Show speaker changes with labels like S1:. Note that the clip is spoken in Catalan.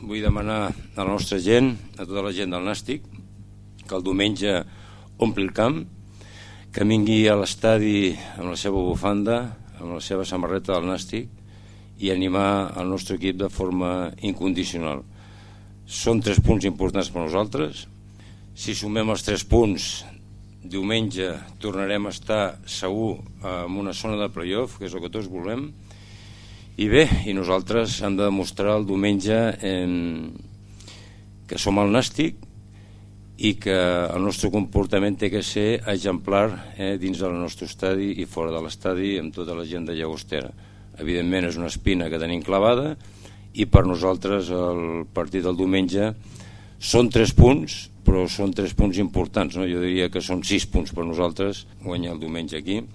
S1: Vull demanar a la nostra gent, a tota la gent del Nàstic, que el diumenge ompli el camp, que vingui a l'estadi amb la seva bufanda, amb la seva samarreta del Nàstic i animar el nostre equip de forma incondicional. Són 3 punts importants per nosaltres. Si sumem els 3 punts, diumenge tornarem a estar segur en una zona de playoff, que és el que tots volem. I bé, i nosaltres hem de demostrar el diumenge que som el Nàstic i que el nostre comportament té que ser exemplar dins del nostre estadi i fora de l'estadi amb tota la gent de Llagostera. Evidentment és una espina que tenim clavada i per nosaltres el partit del diumenge són 3 punts, però són 3 punts importants, no? Jo diria que són 6 punts per nosaltres guanyar el diumenge aquí.